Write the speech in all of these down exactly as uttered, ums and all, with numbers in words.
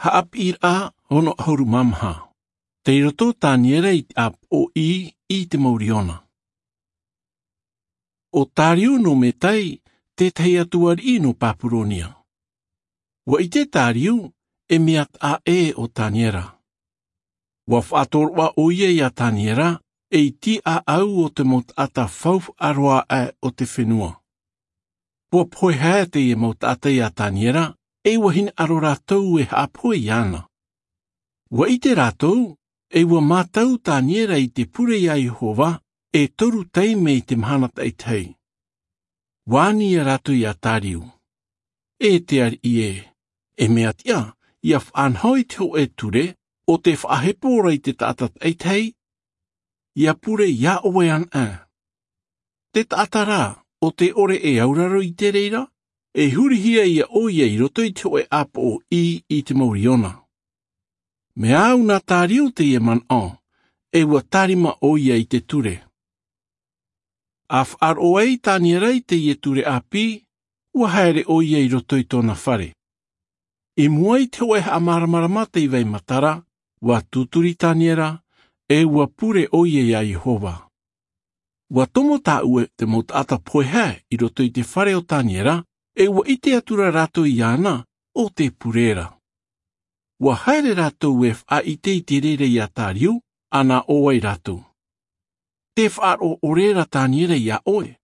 Haʻapiʻiraʻa ono ʻahuru mā maha. Tei roto o Taniera i te ʻāpoʻo ʻī i te mau riona. ʻO Tariu nō Medai, tētahi atu ariʻi nō Papuronia. ʻUa ʻite Tariu e mea taʻa ʻē ʻo Taniera. ʻUa faʻatoroʻa ʻoia iā Taniera ei tīʻaʻau o te mau taʻata faufaʻa roa aʻe o te fenua. ʻUa pohe haere teie mau taʻata iā Taniera, e ʻua hinaʻaro rātou e haʻapohe iāna. ʻUa ʻite rātou, e ʻua mātau Taniera i te pure iā Iehova e toru taime i te mahana taʻitahi. ʻUa ani ia rātou iā Tariu, e te ariʻi ē, e mea tiʻa, ʻia faʻanaho i te hōʻē ture ʻo tē faʻahepo ra i te taʻata taʻitahi, ʻia pure iā ʻoe anaʻe. Te taʻata rā ʻo tē ʻore e auraro i te reira, e hurihia ia ʻoia i roto i te hōʻē ʻāpoʻo ʻī i te mau riona. Mea au nā Tariu teie manaʻo, e ʻua tārima ʻoia i te ture. A faʻaroʻo ai Taniera i teie ture ʻāpī, ʻua haere ʻoia i roto i tōna fare. I mua i te hōʻē haʻamāramarama tei vai matara, ʻua tūturi Taniera, e ʻua pure ʻoia iā Iehova. ʻUa tomo tāʻue te mau taʻata pohe haere i roto i te fare o Taniera, e ʻua ʻite atu ra rātou iāna ʻo tē pure ra. ʻUa haere rātou e faʻaʻite i te reira iā Tariu, ʻana ʻō ai rātou. Tē faʻaroʻo ʻore ra Taniera iā ʻoe.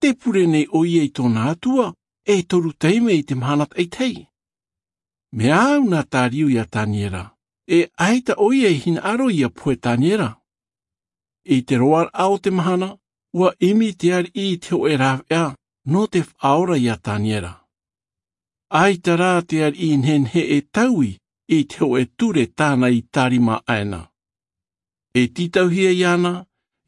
Tē pure nei ʻoia i tōna Atua, e toru taime i te mahana taʻitahi. Mea au nā Tariu iā Taniera, e ʻaita ʻoia i hinaʻaro ʻia pohe Taniera. I te roaraʻa o te mahana, ʻua ʻimi te ariʻi i te hōʻē rāveʻa nō te faʻaora iā Taniera. ʻAita rā te ariʻi i nehenehe e taui i te hōʻē ture tāna i tārima aʻena. E tītauhia iāna,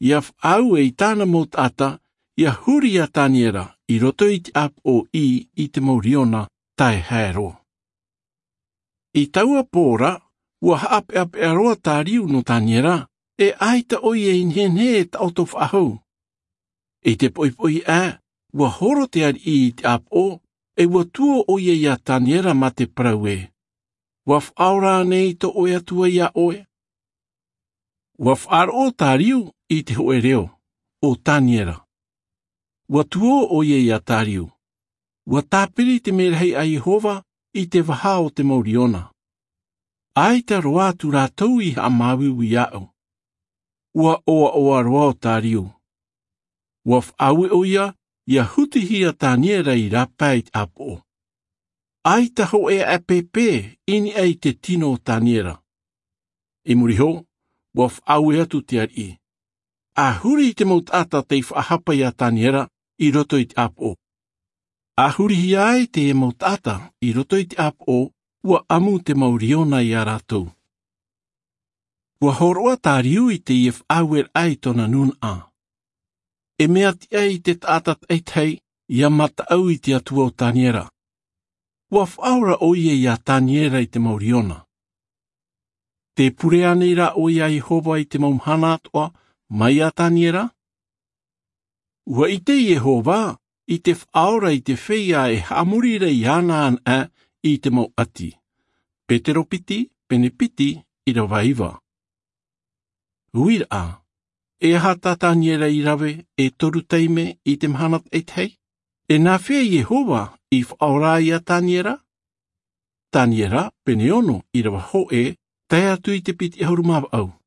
ʻia faʻaue i tāna mau taʻata, ʻia huri iā Taniera i roto i te ʻāpoʻo ʻī i te mau riona tae haere roa. I taua pō ra, ʻua haʻapeʻapeʻa roa Tariu nō Taniera, e ʻaita ʻoia i nehenehe e taʻoto faʻahou. I te poʻipoʻi aʻe, ʻua horo te ariʻi i te ʻāpoʻo, e ʻua tuō ʻoia iā Taniera mā te parau ē. ʻUa faʻaora ānei tō ʻoe Atua iā ʻoe? ʻUa faʻaroʻo Tariu i te hōʻē reo, ʻo Taniera. ʻUa tuō ʻoia iā Tariu. ʻUa tāpiri te merahi a Iehova i te vaha o te mau riona. ʻAita roa atu rātou i haʻamāuiui iāʻu. ʻUa ʻoaʻoa roa ʻo Tariu. ʻUa faʻaue ʻoia, ʻia hutihia Taniera i rāpae i te ʻāpoʻo. ʻAita hōʻē aʻe pēpē i niʻa i te tino o Taniera. I muri iho, ʻua faʻaue atu te ariʻi. A huri i te mau taʻata tei faʻahapa iā Taniera i roto i te ʻāpoʻo. A hurihia ai te mau taʻata i roto i te ʻāpoʻo, ʻua ʻamu te mau riona iā rātou. ʻUa hōroʻa Tariu i teie faʻaueraʻa i tōna nūnaʻa. E mea tiʻa i te taʻata taʻitahi, ʻia mataʻu i te Atua o Taniera. ʻUa faʻaora ʻoia iā Taniera i te mau riona. Tē pure ānei rā ʻoe iā Iehova i te mau mahana atoʻa, mai iā Taniera? ʻUa ʻite Iehova i te faʻaora i te feiā e haʻamori ra iāna anaʻe i te mau ʻati. Petero piti, pene piti, ʻīrava iva. Uiraʻa, e aha tā Taniera i rave e toru taime i te mahana taʻitahi? E nāfea Iehova i faʻaora ai iā Taniera? Taniera, pene ono, ʻīrava hōʻē, tae atu i te piti ʻahuru mā vaʻu.